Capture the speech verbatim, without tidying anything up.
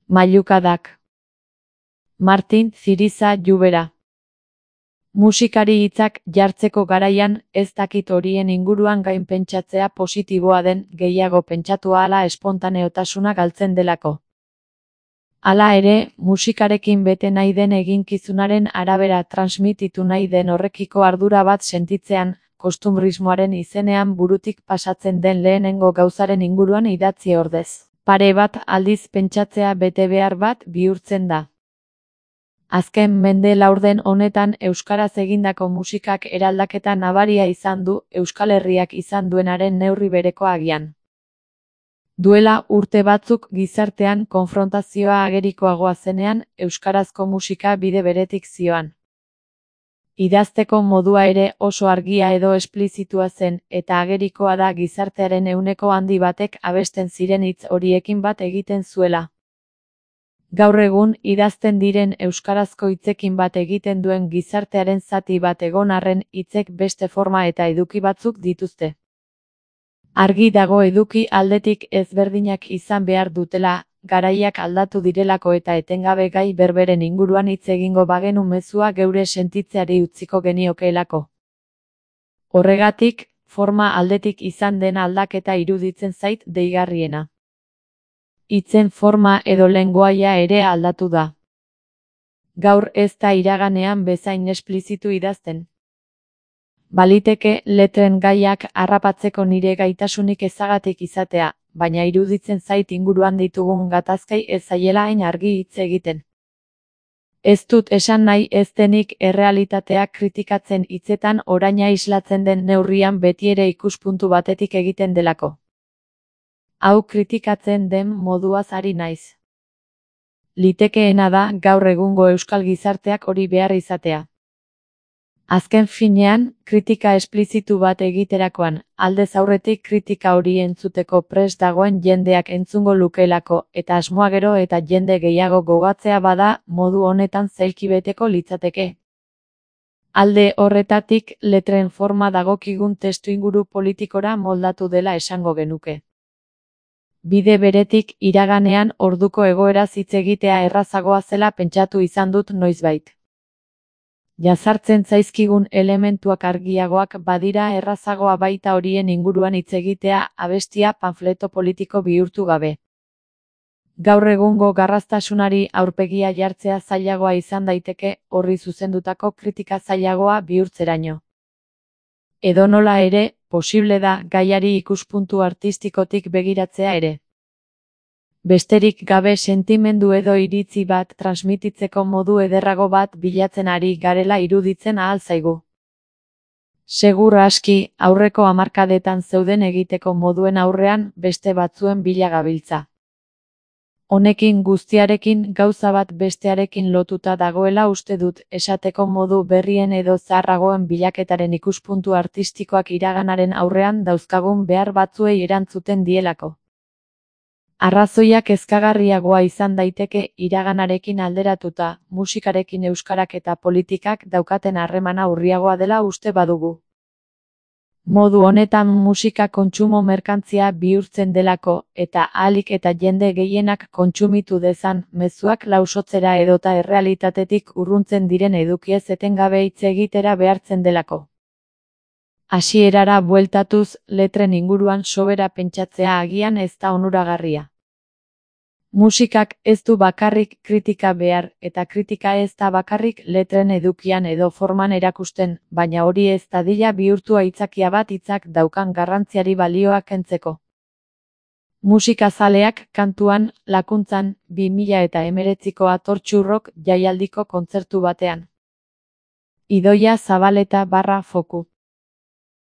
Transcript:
Mailukadak. Martin Ziriza Lluvera. Musikari hitzak jartzeko garaian ez dakit horien inguruan gainpentsatzea positiboa den, gehiago pentsatu ahala espontaneotasuna galtzen delako. Hala ere, musikarekin bete nahi den eginkizunaren arabera transmititu nahi den horrekiko ardura bat sentitzean, kostumbrismoaren izenean burutik pasatzen den lehenengo gauzaren inguruan idatzi ordez. Pare bat aldiz pentsatzea betebehar bat bihurtzen da. Azken mende laurden honetan euskaraz egindako musikak eraldaketa nabaria izan du, Euskal Herriak izan duenaren neurri bereko agian. Duela urte batzuk gizartean konfrontazioa agerikoagoa zenean, euskarazko musika bide beretik zioan. Idazteko modua ere oso argia edo esplizitua zen, eta agerikoa da gizartearen ehuneko handi batek abesten ziren hitz horiekin bat egiten zuela. Gaur egun, idazten diren euskarazko hitzekin bat egiten duen gizartearen zati bat egon arren, hitzek beste forma eta eduki batzuk dituzte. Argi dago eduki aldetik ezberdinak izan behar dutela, garaiak aldatu direlako eta etengabe gai berberen inguruan hitz egingo bagenu mezua geure sentitzeari utziko geniokeelako. Horregatik, forma aldetik izan den aldaketa iruditzen zait deigarriena. Hitzen forma edo lengoaia ere aldatu da. Gaur ez da iraganean bezain esplizitu idazten. Baliteke letren gaiak harrapatzeko nire gaitasunik ezagatik izatea, baina iruditzen zait inguruan ditugun gatazkai ez zaiela hain argi hitz egiten. Ez dut esan nahi ez denik errealitatea kritikatzen hitzetan oraina islatzen den neurrian betiere ikuspuntu batetik egiten delako. Hau kritikatzen den moduaz ari naiz. Litekeena da gaur egungo euskal gizarteak hori behar izatea. Azken finean, kritika esplizitu bat egiterakoan, aldez aurretik kritika hori entzuteko prest dagoen jendeak entzungo lukeelako, eta asmoa gero eta jende gehiago gogatzea bada, modu honetan zailkibeteko litzateke. Alde horretatik, letren forma dagokigun testuinguru politikora moldatu dela esango genuke. Bide beretik, iraganean orduko egoeraz hitz egitea errazagoa zela pentsatu izan dut noizbait. Jazartzen zaizkigun elementuak argiagoak badira errazagoa baita horien inguruan hitz egitea abestia panfleto politiko bihurtu gabe. Gaur egungo garraztasunari aurpegia jartzea zailagoa izan daiteke, horri zuzendutako kritika zailagoa bihurtzeraino. Edonola ere, posible da gaiari ikuspuntu artistikotik begiratzea ere. Besterik gabe sentimendu edo iritzi bat transmititzeko modu ederrago bat bilatzen ari garela iruditzen ahal zaigu. Segur aski, aurreko hamarkadetan zeuden egiteko moduen aurrean beste batzuen bila gabiltza. Honekin guztiarekin gauza bat bestearekin lotuta dagoela uste dut, esateko modu berrien edo zaharragoen bilaketaren ikuspuntu artistikoak iraganaren aurrean dauzkagun behar batzuei erantzuten dielako. Arrazoiak kezkagarriagoa izan daiteke iraganarekin alderatuta, musikarekin euskarak eta politikak daukaten harremana urriagoa dela uste badugu. Modu honetan musika kontsumo merkantzia bihurtzen delako, eta ahalik eta jende gehienak kontsumitu dezan, mezuak lausotzera edota errealitatetik urruntzen diren edukiez etengabe hitz egitera behartzen delako. Hasierara bueltatuz, letren inguruan sobera pentsatzea agian ez da onuragarria. Musikak ez du bakarrik kritika behar, eta kritika ez da bakarrik letren edukian edo forman erakusten, baina hori ez dadila bihurtu aitzakia bat hitzak daukan garrantziari balioa kentzeko. Musikazaleak kantuan, lakuntzan, bi mila eta hemeretziko atortxurrok jaialdiko kontzertu batean. Idoia Zabaleta barra foku.